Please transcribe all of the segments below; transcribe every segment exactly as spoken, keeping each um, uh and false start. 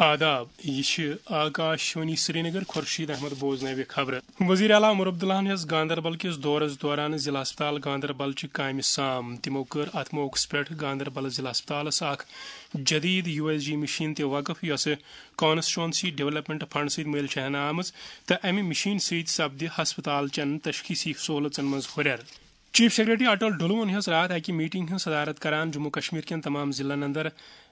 آداب، یہِ چھِ آکاش وانی سرینگر۔ خورشید احمد بوزناوِ خبرٕ۔ وزیر اعلیٰ عمر عبداللہن ہیٚژ گاندربل کِس دورس دوران ضلع ہسپتال گاندربل چہِ کامہِ سام۔ تِمو کٔر اتھ موقعس پٮ۪ٹھ گاندربل ضلع ہسپتالس اکھ جدید یو ایس جی مشین تہِ وقف، یۄسہٕ کانسٹیچوئنسی ڈیولپمنٹ فنڈ سۭتۍ مٔلۍ چھےٚ ہنہٕ آمٕژ، تہٕ امہِ مشین سۭتۍ سپدِ ہسپتال چٮ۪ن تشخیصی سہولژن منٛز ہُرٮ۪ر۔ چیف سیکرٹری اٹل ڈلوہن ہیٚژ راتھ اکہِ میٹنگ ہٕنٛز صدارت کران جموں کشمیر کٮ۪ن تمام ضلعن اندر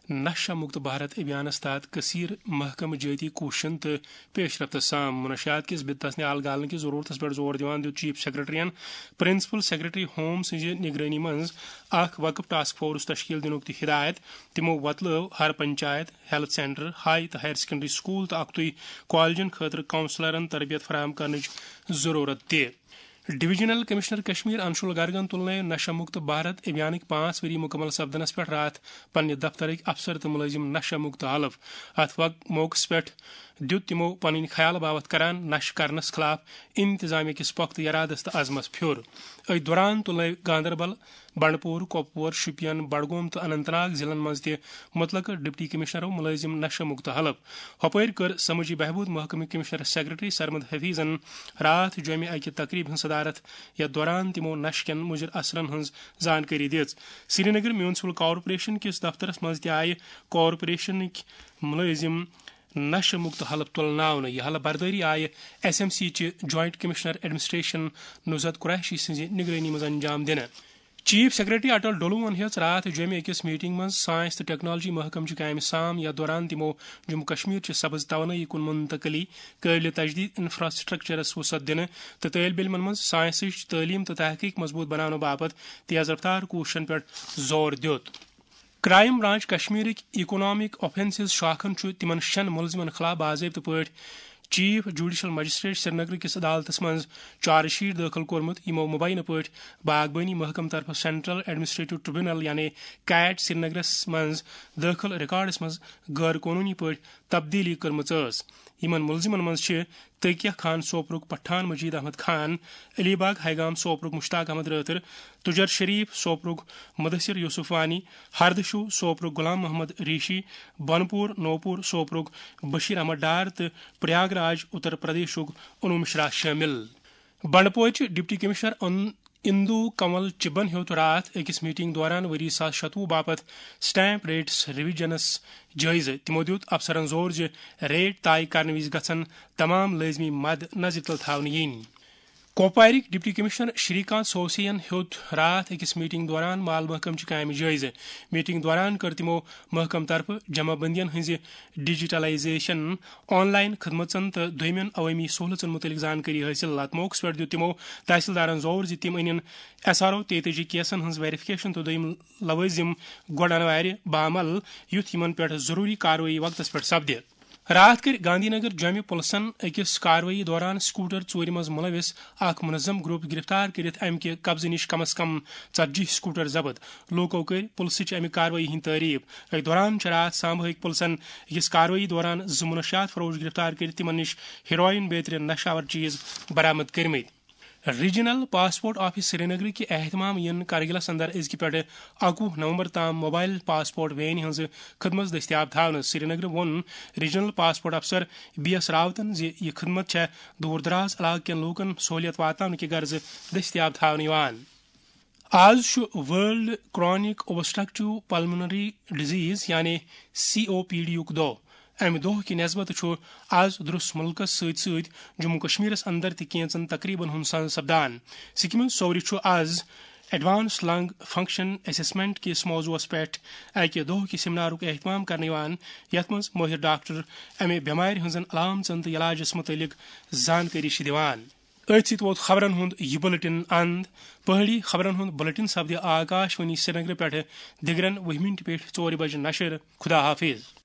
نشہ مکت بھارت ابھیانس تحت کثیر محکمہٕ جٲتی کوٗششن تہٕ پیش رفتس سام۔ منشیات کِس بدتس نِہال گالنہٕ کِس ضروٗرتس پٮ۪ٹھ زور دِوان دیُت چیف سیکرٹریَن پرنسپل سیکرٹری ہوم سٕنٛزِ نگرٲنی منٛز اکھ وقف ٹاسک فورس تشکیل دِنُک تہِ ہدایت۔ تِمو وۄتلٲو ہر پنچایت، ہیلتھ سینٹر، ہاے تہٕ ہائر سیکنڈری سکول تہٕ اکتُے کالجن خٲطرٕ کونسلرن تربیت فراہم کرنٕچ ضروٗرت تہِ۔ ڈویژنل کمشنر کشمیر انشول گرگن تُلنٲوۍ نشہ مکت بھارت ابھیانٕکۍ پانٛژھ ؤری مکمل سپدنس پٮ۪ٹھ راتھ پننہِ دفترٕکۍ افسر تہٕ مُلٲزِم نشہ مکت حلف۔ اتھ وق-، موقعس پٮ۪ٹھ دیُت تِمو پنٕنۍ خیال باوتھ کران نشہ کرنس خلاف انتظامیہ کِس پۄختہٕ ارادس تہٕ عزمس پھیُر۔ أتھۍ دوران تُلنٲوۍ گاندربل، بنڈپور، کۄپوور، شوپین، بڈگوم تہٕ اننت ناگ ضلعن منٛز تہِ مُتلقہٕ ڈپٹی کمشنرو مُلٲزِم نشہ مکت حلف۔ ہۄپٲرۍ کٔر سمٲجی بہبود محکمہٕ کمشنر سیکرٹری سرمد حفیظن راتھ جوٚمہِ اکہِ تقریبہِ ہٕنٛز صدارت، یتھ دوران تِمو نشہٕ کٮ۪ن مُضر اثرن ہٕنٛز زانکٲری دِژ۔ سرینگر میونسپل کارپوریشن کِس دفترس منٛز تہِ آیہِ کارپوریشنٕکۍ مُلٲزِم نشہٕ مُکت حلف تُلناونہٕ۔ یہِ حلف بردٲری آیہِ ایس ایم سی چہِ joint commissioner administration Nuzhat Qureshi سٕنٛزِ نگرٲنی منٛز انجام دِنہٕ۔ چیف سیکرٹری اٹل ڈولوہن ہیٚژ راتھ جوٚمہِ أکِس میٹنگ منٛز ساینس تہٕ ٹیکنالوجی محکمہٕ چہِ کامہِ سام، یتھ دوران تِمو جموں کشمیر چہِ سبز توانٲیی کُن منتقلی، قٲبلِ تجدید انفراسٹرکچرس وسعت دِنہٕ تہٕ طٲلب علمن منٛز ساینسٕچ تعلیٖم تہٕ تحقیق مضبوط بناونہٕ باپتھ تیز رفتار کوٗششن پٮ۪ٹھ زور دیُت۔ کرائم برانچ کشمیرٕکۍ اکنامک آفینسز شاخن چھُ تِمن شٮ۪ن مُلزِمن خلاف باضٲبطہٕ پٲٹھۍ چیف جوڈیشل مجسٹریٹ سرینگر کِس عدالتس منٛز چارج شیٹ دٲخل کوٚرمُت، یِمو مبینہ پٲٹھۍ باغبٲنی محکمہٕ طرفہٕ سینٹرل ایڈمنسٹریٹو ٹریبونل یعنی کیٹ سرینگرس منٛز دٲخل ریکارڈس منٛز غٲر قونوٗنی پٲٹھۍ تبدیٖلی کٔرمٕژ ٲس۔ یِمن مُلزِمن منٛز چھِ تقیہ خان سوپرُک پٹھان مجید احمد خان، علی باغ ہیگام سوپرُک مشتاق احمد رٲتھر، تجر شریف سوپرُک مدثر یوسف وانی، ہردشو سوپرُک غلام محمد ریشی، بنپور نوپور سوپرُک بشیر احمد ڈار تہٕ پریاگ راج اتر پردیشُک انو مشرا شٲمِل۔ بنڈپورچہِ ڈپٹی کمشنر ان-، اندو کنول چبن ہیوٚت راتھ أکِس میٹنگ دوران ؤری زٕ ساس شتوُہ باپتھ سٹیمپ ریٹس ریویژنس جٲیزٕ۔ تِمو دیُت افسرن زور زِ ریٹ طے کرنہٕ وِزِ گژھن تمام لٲزمی مد نظرِ تل تھاونہٕ یِنۍ۔ کوپوارٕکۍ ڈپٹی کمشنر شری کانت سوسین ہیوٚت راتھ أکِس میٹنگ دوران مال محکمہٕ چہِ کامہِ جٲیزٕ۔ میٹنگ دوران کٔر تِمو محکمہٕ طرفہٕ جمع بندین ہٕنٛزِ ڈیجیٹلائزیشن، آن لائن خدمژن تہٕ دوٚیمٮ۪ن عوٲمی سہولژن مُتعلق زانکٲری حٲصِل۔ اتھ موقعس پٮ۪ٹھ دیُت تِمو تحصیلدارن زور زِ تِم أنِن ایس آر او تیتٲجی کیسن ہٕنٛز ویریفکیشن تہٕ دوٚیِم لوٲزِم گۄڈٕ انوارِ بعمل، یُتھ یِمن پٮ۪ٹھ ضروٗری کاروٲیی وقتس پٮ۪ٹھ سپدِ۔ راتھ کٔرۍ گاندھی نگر جوٚمہِ پُلسن أکِس کاروٲیی دوران سکوٹر ژوٗرِ منٛز مُلوِث اکھ منظم گروپ گرفتار کٔرِتھ امہِ کہِ قبضہٕ نِش کم از کم ژتجی سکوٹر ضبط۔ لوٗکو کٔرۍ پُلسٕچ امہِ کاروٲیی ہٕنٛدۍ تعریف۔ أتھۍ دوران چھِ راتھ سامبہٕ ہٕکۍ پُلسن أکِس کاروٲیی دوران زٕ منشیات فروش گرفتار کٔرِتھ تِمن نِش ہیروئن بیترِ نشہٕ آور چیز برآمد کٔرمٕتۍ۔ ریجنل پاسپورٹ آفس سرینگرٕکہِ اہتمام یِن کرگلس اندر أزکہِ پٮ۪ٹھٕ اَکوُہ نومبر تام موبائل پاسپورٹ وینہِ ہٕنٛز خدمت دٔستیاب تھاونہٕ۔ سرینگرٕ ووٚن ریجنل پاسپورٹ افسر بی ایس راوتن زِ یہِ خدمت چھےٚ دوٗر دراز علاقہٕ کٮ۪ن لوٗکن سہوٗلیت واتناونہٕ کہِ غرضہٕ دٔستیاب تھاونہٕ یِوان۔ آز چھُ ورلڈ کرانک اوبسٹرکٹیو پلمونری ڈیزیز یعنی سی او پی ڈی یُک دۄہ۔ امہِ دۄہ کہِ نسبت چھُ آز درس مُلکس سۭتۍ سۭتۍ جموں کشمیرس اندر تہِ کینژن تقریبن ہُنٛد سنز سپدان۔ سکمٕز سورِ چھُ آز ایڈوانس لنگ فنکشن اسسمنٹ کِس موضوعس پٮ۪ٹھ اکہِ دۄہ کہِ سیمینارُک اہتمام کرنہٕ یِوان، یتھ منٛز مٲہِر ڈاکٹر امہِ بٮ۪مارِ ہٕنٛزن علامژن تہٕ علاجس مُتعلق زانکٲری چھِ دِوان۔ أتھۍ سۭتۍ ووت خبرن ہُنٛد یہِ بُلٹن اند۔ پہٲڑی خبرن ہُنٛد بُلٹن سپدِ آکاش وانی سرینگرٕ پٮ۪ٹھٕ دِگرن وُہہِ مِنٹہِ پٮ۪ٹھ ژورِ بجہِ نشر۔ خدا حافظ۔